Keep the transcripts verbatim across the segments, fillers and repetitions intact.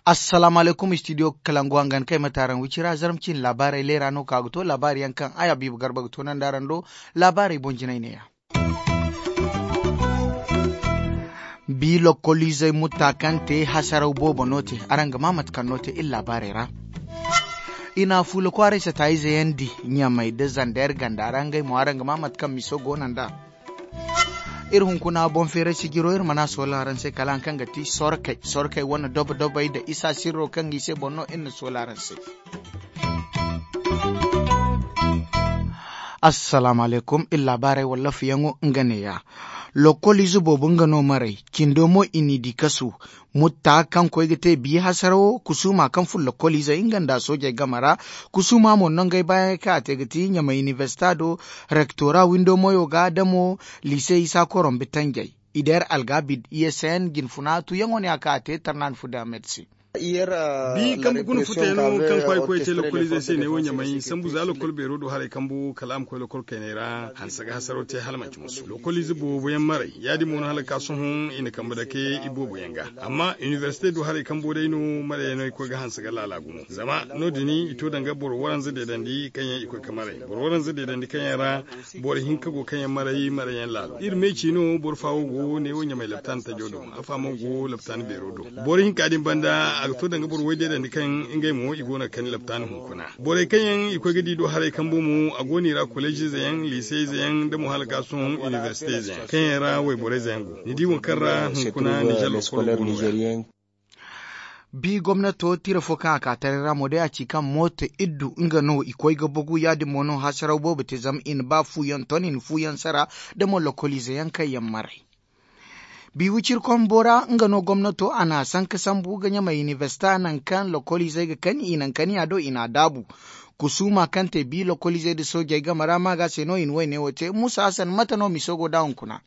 Assalaamu alaykum, studio kalangu hangan kay mate araŋ wicira zarma cine laabaarey leera no ka ga to laabaari yaŋ kaŋ ay habiibu garba ga to nandi araŋ do. Laabaarey boŋ jinay neeya. Bi lokkoliizey mutta kaŋ te hasaraw boobo no te. Araŋ ga maa mate kaŋ no te iri laabaarey ra. I na fuula kwaaray sata ize yaŋ di ɲamay nda zander ganda ra ngey mo araŋ ga maa mate kaŋ miso go no nd'a. Iri hunkuna boŋ feeray sijiro iri mana soola araŋ se kala haŋ kaŋ ga ti sorkey sorkey wane dobo dobey nda isa sirro kaŋ ga i se boŋ no iri na soola araŋ se. Assalaamu alaykum iri laabaarey wallaafiyaŋo nga neeya. Lokkoliize boobo nga no maray cindo mo i n'i di kasu. Mutta kaŋ koy ga te biya hasarawo kusuuma kaŋ furo lokkoliizey nga nda soojey game ra. Kusuuma mo nangey baayaŋey kaŋ a te ga ti ɲamay inibersita do rektora windo moyo ga damo liise isa korombe tanjey. Ideer algabid isn jinfuna tuyaŋo ne a kaŋ a te tarnaani fu damed se. Bi kambe guna futayano kaŋ kwaay koy te lokkoliizey se ne wo ɲamay sambu za lokkol beero do haray kambu kala a ma koy lokkol kayney ra hanse ga hasaro te hala manci musu lokkoliize boobo yaŋ maray ya- din mo no hala ga ka sohõ i na kambe dake iboobo yaŋ ga. Amma inibersite do haray kambo day no marayey no i koy ga hanse ga laala gumo zama no- din i to danga boro waranza deedandi kaŋ yaŋ i koy ga maray boro waranza deedandi kaŋ yaŋ ra boro hinka go kaŋ yaŋ maray maray yaŋ laalo iri meeci no boro faawo go neewo ɲamay laptaani tajo do. Afa mo go laptaani beero do. Boro hinka din banda a ga to danga boro waydeedandi kaŋ ngey mo i go no ga kani laptaani hunkuna. Borey kaŋ yaŋ i koy ga di do haray kambo mo a go no i ra koleeziize yaŋ liiseyize yaŋ nda mo hala ga sohõ inibersiteeze yaŋ kaŋ yaŋ ra wayborayze yaŋ go. Ni di waŋ kaŋ ra hunkuna nizer lokkolo go no ya. Bi gomnato tira fo kaŋ a ka taray ra mo day a ci kaŋ mooto iddu nga no i koy ga bugu ya- din mo no hasaraw boobo te zama i na ba fuuyaŋ ton i na fuuyaŋ sara da mo lokkoliize yaŋ kaŋ yaŋ maray. Bi wicirkombo ra nga no gomnato a na sanka sambu ga ɲamay inibersita nangu kaŋ lokkoliizey ga kani i naŋ kani a do i na a daabu. Kusuuma kaŋ te bi lokkoliizey nda soojey game ra maaga se no i na woyne wo te muusa hasan mate no miso go da hunkuna.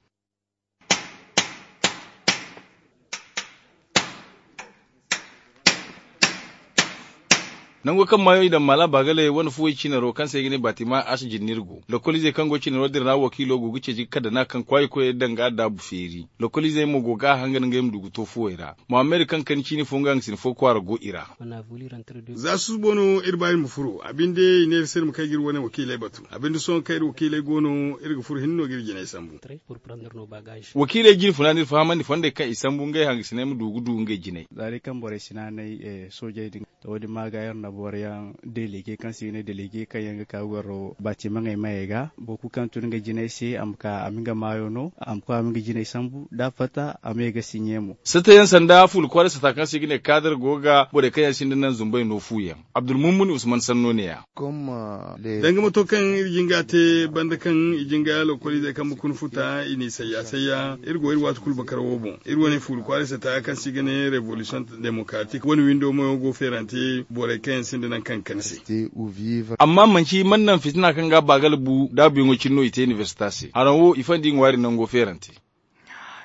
Nango kaŋ maayo i daŋ maala baagaley wane fuwey cinaro kaŋ se i ga ne baatima ash jinni iri go lokoliizey kaŋ go cinaro din ra wakiilo go ga ceeci ga kadana kaŋ kwaayi koyey daŋ ga daabu feeri. Lokoliizey mo go ga a hangan ngey ma du ga to fuwey ra. Mohammed kaŋ kani ciini fo nga hangasina fo kwaara go i ra. Za susubo no iri ba iri ma furo a binde i ne iri se iri ma kay ga iri wane wakiiley batu a binde sohõ kaŋ iri wakiiley go no iri ga furo hinne no ga iri jinay sambu. Wakiiley jine funa no iri fahamandi fondey kaŋ i sambu ngey hangasiney ma du ga du ngey jinay. Za day kaŋ borey si naanay soojey din to wo- din maaga iri na boro yaŋ delege kaŋ se i ga ne delege kaŋ yaŋ ga ka ga goro baatimaŋey mayey ga boro kulu kaŋ tun nga jinay se a ma ka a ma nga maayo no a ma koy a ma nga jinay sambu da a fatta a ma ye ga siɲe mo. Satayaŋ sanda fuula kwaaray sata kaŋ se i ga ne kaadar go ga borey kaŋ yaŋ sinda naŋ zumbey no fu yaŋ. Abdulmumuni usman sanno ne- ya. Danga mato kaŋ iri jinga te banda kaŋ i jinga lokoliizey kaŋ bukun futa i n'i sayya sayya iri go iri waati kulu bakar wo boŋ iri wane fuuru kwaaray sata kaŋ se i ga ne revolution democratique wane windo mayo go feerante borey kaŋ yaŋ sinda nangu kaŋ ga kani se. Amma manci man naŋ fitina kaŋ ga baagala bu daabuyaŋo cine no i te inibersita se haraŋ wo i fandi ŋwaari nango feerante.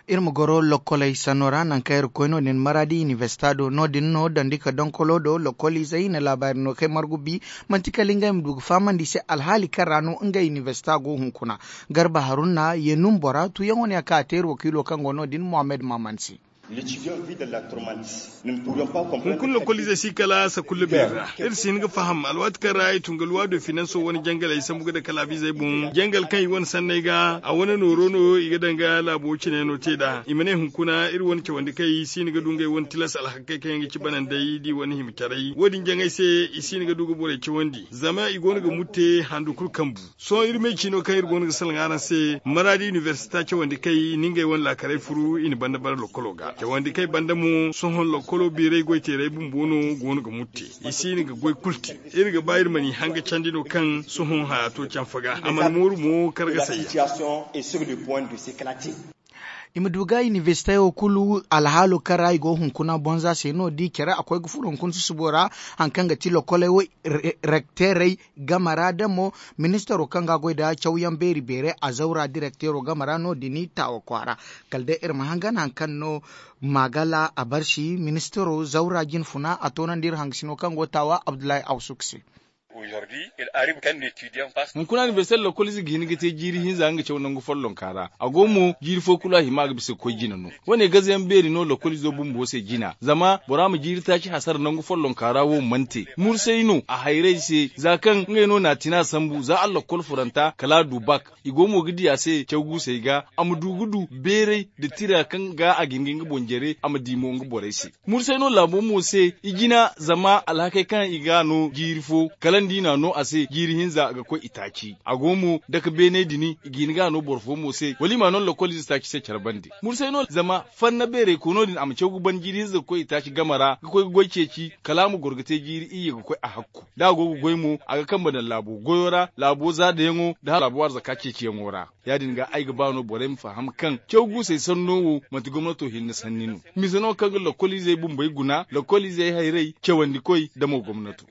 Iri ma goro lokkoley sanno ra nangu kaŋ iri ga koy no- din maradi inibersita do no- din no dandi ka donkolo do lokkoliizey i na laabaari no kay margu bi manti kala ngey ma du ga fahamandi i se alhaali kaŋ ra no ngey inibersita go hunkuna. Garba harunna yenun bora tuyaŋo ne a ka a te iri wakiilo kaŋ go no- din mohammed maman se. Hunkuna lokkoliizey si kala sakulla beeri ra iri si hin ga faham alwaati kaŋ ra i tun ga luwa do finanso wane jangaley sambu ga dake laabiizey boŋ jangal kaŋ i wane sanney ga a wane nooro no i ga daŋ ga laabo cine no te nd'a i ma ne hunkuna iri wane cawandi kaŋ i si hin ga du ngey wane tilas alhakey kaŋ yaŋ ga ci banandey da i wane hima caray wo- din jaŋay se i si hin ga du ga borey cawandi zama i go no ga mutte handu kulu kambu. Sohõ iri me ciino kaŋ iri go no ga salaŋ araŋ se maradi inibersita cawandi kay ni ngey wane laakaray furu i na banda bara lokkolo ga cawandi kay banda mo sohõ lokkolo biiray goyteeray bumbo no go no ga mutte. I si no ga goy kulu te. Iri ga ba iri ma n'i hanga candi no kaŋ sohõ haya to canfa ga a mana mooru mo kargasay yaŋ. I ma du ga inibersite wo kulu alhaalo kaŋ ra i go hunkuna bonza se no da i care a koy ga furo hunkuna susubo ra. Hari kaŋ ga ti lokoley wo rekteerey game ra da mo ministaro kaŋ ga goy nda cawyaŋ beeri beeray a zawra direkteero game ra no- din taawa kwaara. Kala day iri ma hangan hari kaŋ no maagala a barsi ministaro zawra jinfuna a toonandi iri hangasino kaŋ go taawa abdullahi awsuk se. Hunkuna anibersel lokolize ga hin ga te jiiri hinza nga caw nangu follonka ra. A go mo jiiri fo kulu a hima a ga bisa ga koy jina no. Wane gaza yaŋ beeri no lokolizo bumbo se jina zama bora ma jiiri taaci hasara nangu follonka ra wo mana te mursay no a hayray se za kaŋ ngey no n'a tina sambu za a lokol furanta kala a du bak. I go mo ga di a se caw guusey ga a ma du ga du beeray nda tira kaŋ ga a ga hin ga nga boŋ jare a ma di mo nga borey se. Mursay no laabo mo se i jina zama alhakey kaŋ i ga a no jiiri fo kala nda i n'a no a se jiiri hinza ga koy itaaci a go mo dake beeney din i ga hin ga a no boro fo mo se wala i m'a no lokolize taaci se care bande. Mursay no zama fanna beerey kono din a ma caw ga ban jiiri hinza ga koy itaaci game ra ga koy ga goy ceeci kala a ma goro ga te jiiri iyye ga koy a hakku da a go ga goy mo a ga kambe daŋ laabo goyo ra laabo zaadayaŋo nda laabo arzaka ceeciyaŋo ra. Ya- din ga ay ga ba no borey ma faham kaŋ caw guusey sanno wo manti gomnato hinne sanni no. Mise no kaŋ ga lokoliizey bumbey guna lokoliizey hayray cawandikoy nda mo gomnato.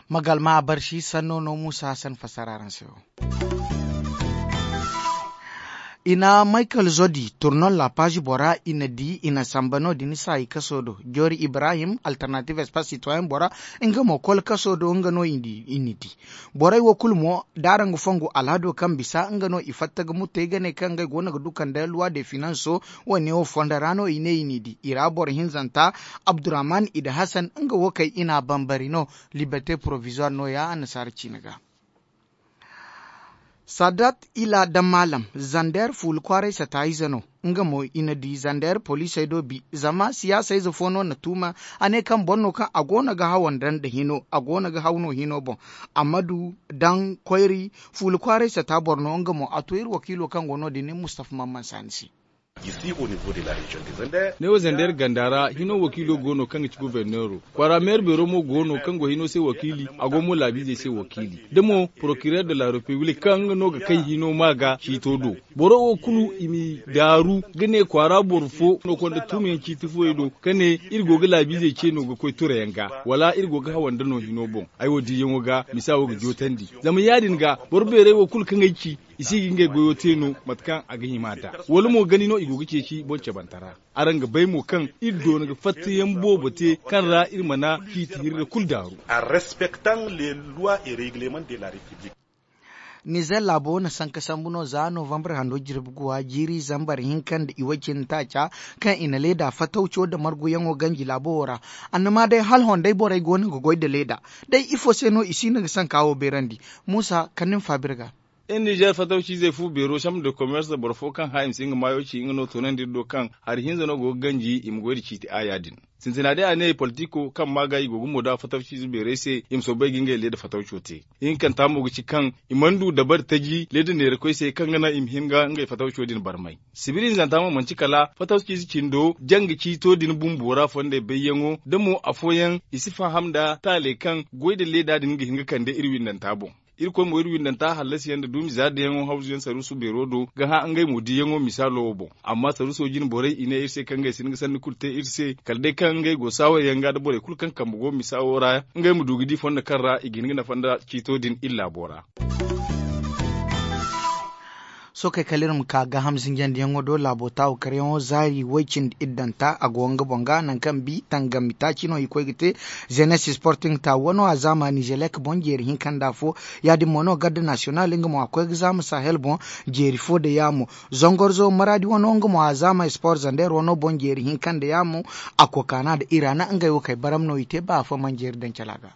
Magalma a barsi sanno no muusa hassan fassara araŋ se wo. I na michael zodi turnon la page bora i na di i na samba no- din saayi kaso do joori ibrahim alternative espace citoyen bora nga mo kol kaso do nga no i na di. Borey wo kulu mo da araŋ ga fongu alhado kaŋ bisa nga no i fatta ga muttey ga ne kaŋ ngey go no ga du kande loi de finanso. Wo- ne wo fondo ra no i ne i n'i di i ra boro hinzanta abdurrahman i da hasan nga wo kay i n'a bambari no. Liberte provisoire no- ya annasaara ciine ga. Sadat ila da maalam zander fuula kwaaray sata ize no. Nga mo i na di zander poliisey do bi zama siyaasa ize fo no na tuuma. A ne kaŋ boro no kaŋ a go no ga haw nda hino a go no ga haw no hino boŋ. Amma du daŋ koyri fuula kwaaray sata boro no nga mo a to iri wakiilo kaŋ go no- din ne mustafa mamman saani se. Ne wo zander ganda ra hino wakiilo go no kaŋ ga ci goforneero kwaara meera beero mo go no kaŋ go hino se wakiili a go mo laabiizey se wakiili da mo porokireer de la repiblik kaŋ nga no ga kay hino ma ga ciito do. Boro wo kulu i m'i daaru ga ne kwaara boro fo no konda tuumayaŋ ciiti fooyey do ka ne iri go ga laabiizey ce no ga koy turayaŋ ga wala iri go ga hawanda no hino boŋ. Ay wo diiyaŋo ga misa wo ga jootandi zama ya- din ga boro beerey wo kulu kaŋ ay ci i si ga ngey goyo te no mate kaŋ a ga hima nd'a wala mo gani no i go ga ceeci boŋ cabanta ra. Araŋ ga bay mo kaŋ iri doona ga fattayaŋ boobo te kaŋ ra iri mana ciiti hirri kulu daaru. Nizer laabo na sanka sambu no za novambar hando jirbi guwa jiiri zambar hinka nda i way cindi taaca kaŋ i na leeda fatawco nda marguyaŋo ganji laabo wo ra. Annama day hala hondey borey go no ga goy nda leeda. Day ifo se no i si no ga sanka wo beerandi? Muusa kala ni ma faaba iri ga. Iri nizer fatawciizey fu beero sambu nda komers boro fo kaŋ hã i ma si nga maayo ci nga no toonandi iri do kaŋ hari hinza no go ga ganji i ma goy nda ciiti aaya din. Sintina day a ne politiko kaŋ maa ga i go ga mooda fatawciize beerey se i ma soobay ga ngey leeda fatawco te. Ihinkanta mo ga ci kaŋ i mana du dabari taji leeda neerakoy se kaŋ ga naŋ i ma hin ga ngey fatawco din barmay. Sibiri hinzanta mo manti kala fatawciize cindo janga ciito din bumbo ra fondey bayyaŋo da mo afooyaŋ i si faham nda taaley kaŋ goy nda leeda din ga hin ga kande iri windanta boŋ. Irkoy mo iri windanta hallasiyaŋ nda duumi zaadayaŋo hawzuyaŋ saruusu beero do ga hã ngey mo diiyaŋo misaalo wo boŋ. Amma saruuso jine borey i ne iri se kaŋ ngey si hin ga sanni kulu te iri se kala day kaŋ ngey go saawayyaŋ ga nda borey kulu kaŋ kambe go misa wo ra ngey ma du ga di fondo kaŋ ra i ga hin ga nafa nda ciito din iri laabo ra. Sookey kala iri ma ka gaaham zinjandiyaŋo do laabo taawu karyaŋo zaari way cindi iddanta a go nga boŋ ga nangu kaŋ bi tangami taaci no i koy ga te. Zenes sporting taawu wano a zaama nizelek boŋ jeeri hinka nda afo. Ya- din mo no garde nasiyonal nga mo a koy ga zaama sahel boŋ jeeri fo nda yaamo. Zangorzo maradi wano nga mo a zaama sport zander wano boŋ jeeri hinka nda yaamo. A kokaana nda irana ngey wo kay baram no i te ba afo mana jeeri daŋ cala ga.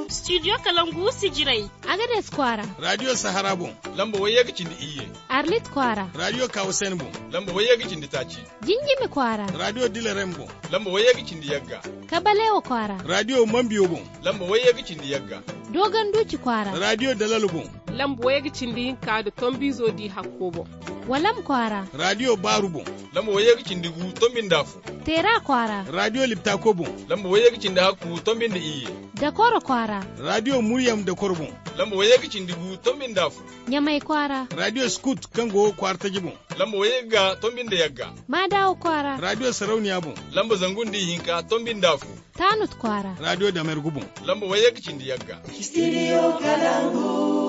Studio kalangu sijirey. Agades kwaara. Radio sahara boŋ lamba wayye ga cindi iyye. Arlit kwaara. Radio kawusen boŋ lamba wayye ga cindi taaci. Jinjimi kwaara. Radio dilerem boŋ lamba wayye ga cindi yagga. Kabalewa kwaara. Radio mambiyo boŋ lamba wayye ga cindi yagga. Dogon duci kwaara. Radio dalalo boŋ lamba wayye ga cindi hinka nda tombizo di hakko boŋ. Walam kwaara. Radio baaru boŋ lamba wayye ga cindi gu tombi nda afo. Teera kwaara. Radio liptako boŋ lamba wayye ga cindi hakku tombi nda iyye. Dakoro kwaara. Radio muryam dakoro boŋ lamba wayye ga cindi gu tombi nda afo. Ɲamay kwaara. Radio skut kaŋ go kwaara taji boŋ lamba wayye ga tombi nda yagga. Maadawa kwaara. Radio sarauniya boŋ lamba zangu nda ihinka tombi nda afo. Taanut kwaara. Radio damergu boŋ lamba wayye ga cindi yagga. Studio kalangu.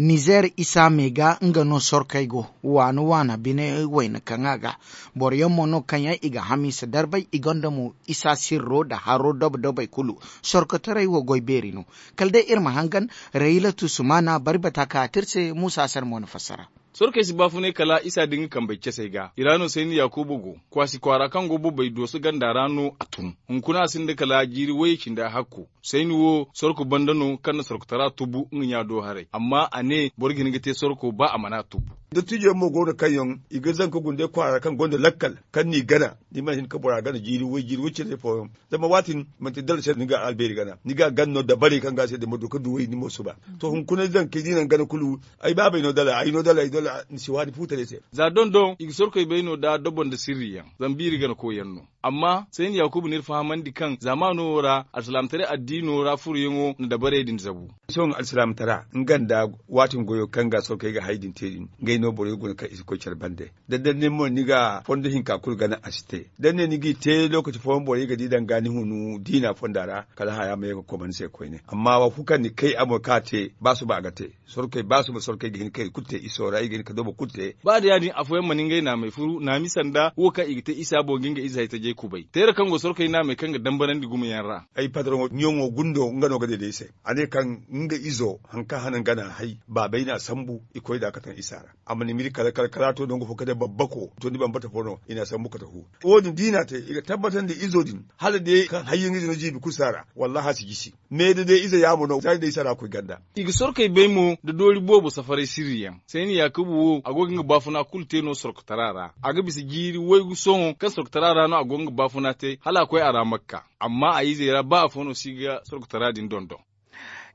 Nizer isa me ga nga no sorkey go waana waana bine wayna kaŋ a ga boro yaŋ mo no kaŋ yaŋ i ga hamiisa darbay i gonda mo isa sirro nda haro dobo dobey kulu. Sorkotaray wo goy beeri no. Kala day iri ma hangan rayilatu sumaana bari bata ka a te iri se muusa hasar mo na fassara. Sorkey si baafunay kala isa da nga kambey casey ga i ra no sayni yaakuba go. Kwaasi kwaara kaŋ go bobey dooso ganda ra no a tun. Hunkuna a sinda kala jiiri wayye cindi a hakku. Sayni wo sorko banda no kaŋ na sorkotara tubu nga ɲa do haray amma a ne boro ga hin ga te sorko ba a mana tubu. Dottijo yaŋ mo go no kaŋ yaŋ i ga zanka gunday kwaara kaŋ gonda lakkal kaŋ n'i gana. Ni mana hin ka bora gana jiiri way jiiri way cindi fooyaŋ. Zama waati din manti dala se ni ga albeeri gana ni ga a gana no dabarey kaŋ ga a se din ma du ka du way ni mo suba. To hunkuna zankey da i naŋ gana kulu ay baabey no dala ay no dala ay dala ni si waani fuutaray se. Za doŋ doŋ i ga sorkey bay no da dobo nda sirri yaŋ zama biiri gana koy yaŋ no. Amma sayni yaakuba n'iri fahamandi kaŋ zaamaano wo ra alsilaamataray addiino ra furoyaŋo na dabarey din zabu. Sohõ alsilaamataray nga nda waati goyo kaŋ ga sorkey ga hay din te din ngey no borey guna kaŋ i si koy care bande. Da ni ne mo ni ga fondo hinka kulu gana a si te da ni ne ni g'i te lookaci fooyaŋ borey ga di danga ni hunu diina fonda ra kala haya ma ye ga koma ni se koyne amma wo kulu kaŋ ni kay a mo kaŋ a te ba suba a ga te. Sorkey ba suba sorkey ga hin ka i kulu te iso ra i ga hin ka dobo kulu te. Ba da ya- din afooyaŋ mana ngey naamey furu naami sanda wo kaŋ i ga te isa boŋ ga nga ize hay tajey kubay teera kaŋ go sorkey naamey kaŋ ga dambarandi gumo yaŋ ra. Ay patroŋo ɲaŋo gundo nga no ga deede ay se. A ne kaŋ nga izo hari kaŋ hana nga n'a hay baabey n'a sambu i koy nd'a ka taŋ isa ra. A mana miri kala kala kala a to nangu fo kala day babbako to ni bambata fo no i n'a sambu kate fu. Wo- din da i n'a te i ga tabbatandi izo din hala day kaŋ hayyaŋ ize no jiibi kulu si a ra. Wallaahi a si jisi. Me da day ize yaamo no za day i si a ra koy ganda. I ga sorkey bay mo nda doori boobo safaray sirri yaŋ. Sayni yaakuba wo a go ga nga baafuna kulu te no sorkotara ra. A ga bisa jiiri waygu sohõ kaŋ sorkotara ra no a go ga nga baafuna te hala a koy a ra makka. Amma a izey ra ba afo no si ga sorkotara din dondon.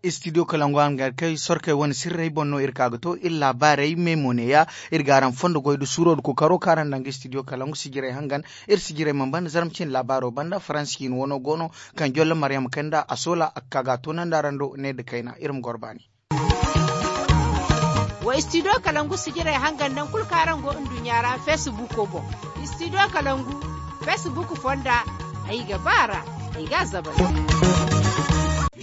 Istidiyo kalangu a na gar kay sorkey wane sirrey boŋ no iri ka ga to iri laabaarey me mo neeya. Iri ga araŋ fondo goy nda suuro nda kookaro kaŋ araŋ daŋ ga istidiyo kalangu sijirey hangan. Iri sijirey mana banda zarma cine laabaaro banda faransi ciine wano go no. Kaŋ jolle maryama kay nda a soola a ga ka ga a toonandi araŋ do ne nda kayna iri ma goro baani. Wa istidiyo kalangu sijirey hangan naŋ kulu kaŋ araŋ go nduɲɲa ra feesibuuko boŋ. Istidiyo kalangu feesibuuko fonda ay ga ba a ra. Ay ga a zabari.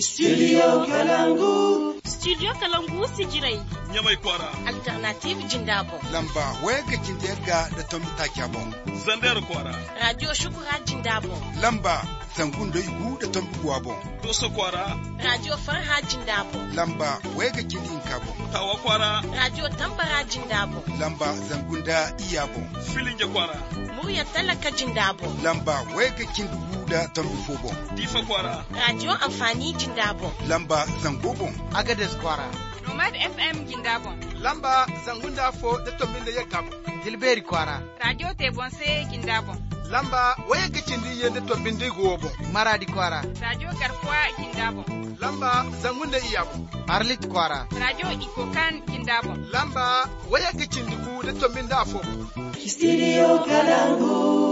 Istidiyo kalangu. Istidiyo kalangu sijirey. Ɲamay kwaara. Alternatiiv jinda boŋ. Lamba wayga cindi yagga nda tombi taaca boŋ. Zandeer kwaara. Raadiyo sukura jinda boŋ. Lamba zangu nda igu nda tombi guwa boŋ. Dooso kwaara. Raadiyo farha jinda boŋ. Lamba wayga cindi hinka boŋ. Taawa kwaara. Raadiyo tambara jinda boŋ. Lamba zangu nda iyya boŋ. Filinja kwaara. Murya talaka jinda boŋ. Lamba wayga cindi gu nda tombi fo boŋ. Diifa kwaara. Raadiyo anfaani jinda boŋ. Lamba zango boŋ. Agades kwaara. Nomad f m jinda boŋ. Lamba zangu nda afo nda tombi nda yagga boŋ. Tilbeeri kwaara. Raadiyo te boŋ se jinda boŋ. Lamba wayagga cindi iyye nda tombi nda igu wo boŋ. Maraadi kwaara. Raadiyo garkuwa jinda boŋ. Lamba zangu nda iyya boŋ. Arlit kwaara. Raadiyo ikokan jinda boŋ. Lamba wayagga cindi gu nda tombi nda afo boŋ. Istidiyo kalangu.